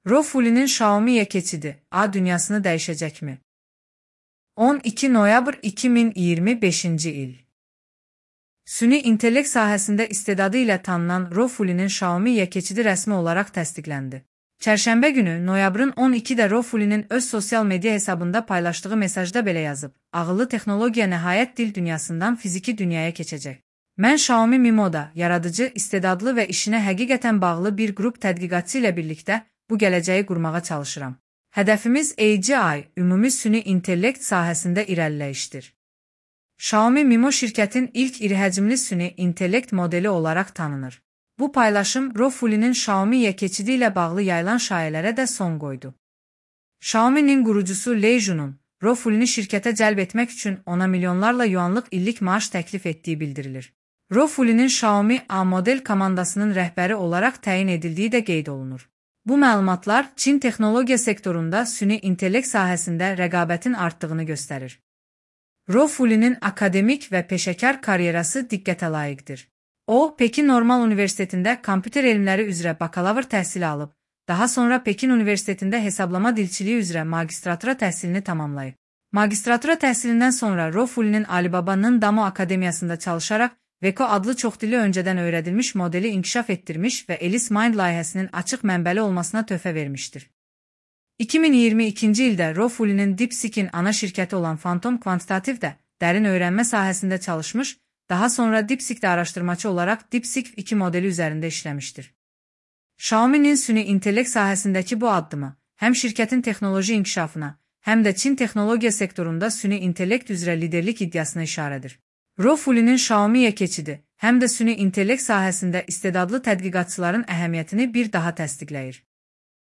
Rofulinin Xiaomi'ye keçidi A dünyasını dəyişəcəkmi? 12 noyabr 2025-ci il. Süni intellekt sahəsində istedadı ilə tanınan Rofulinin Xiaomi'ye keçidi rəsmi olaraq təsdiqləndi. Çərşənbə günü noyabrın 12-də Rofulinin öz sosial media hesabında paylaşdığı mesajda belə yazıb: "Ağıllı texnologiya nəhayət dil dünyasından fiziki dünyaya keçəcək. Mən Xiaomi Mimo'da yaradıcı, istedadlı və işinə həqiqətən bağlı bir qrup tədqiqatçı ilə birlikdə bu gələcəyi qurmağa çalışıram. Hədəfimiz AGI, ümumi süni intellekt sahəsində irəliləyişdir." Xiaomi Mimo şirkətin ilk iri həcmli süni intellekt modeli olaraq tanınır. Bu paylaşım Rofulinin Xiaomi'ye keçidi ilə bağlı yayılan şayələrə də son qoydu. Xiaomi'nin qurucusu Lei Jun'un Rofulini şirkətə cəlb etmək üçün ona milyonlarla yuanlıq illik maaş təklif etdiyi bildirilir. Rofulinin Xiaomi A model komandasının rəhbəri olaraq təyin edildiyi də qeyd olunur. Bu məlumatlar Çin texnologiya sektorunda süni intellekt sahəsində rəqabətin artdığını göstərir. Rofulinin akademik və peşəkar karyerası diqqətə layiqdir. O, Pekin Normal Universitetində kompüter elmləri üzrə bakalavr təhsili alıb, daha sonra Pekin Universitetində hesablama dilçiliyi üzrə magistratura təhsilini tamamlayıb. Magistratura təhsilindən sonra Rofulinin Alibaba'nın Damo Akademiyasında çalışaraq Veko adlı çoxdilli öncədən öyrədilmiş modeli inkişaf etdirmiş və Alice Mind layihəsinin açıq mənbəli olmasına töhfə vermişdir. 2022-ci ildə Rofulinin DeepSeek'in ana şirkəti olan Phantom Quantitative də dərin öyrənmə sahəsində çalışmış, daha sonra DeepSeek'də araşdırmacı olaraq DeepSeek 2 modeli üzərində işləmişdir. Xiaomi'nin süni intellekt sahəsindəki bu addımı həm şirkətin texnoloji inkişafına, həm də Çin texnologiya sektorunda süni intellekt üzrə liderlik iddiasına işarədir. Rofulinin Xiaomi'ye keçidi həm də süni intellekt sahəsində istedadlı tədqiqatçıların əhəmiyyətini bir daha təsdiqləyir.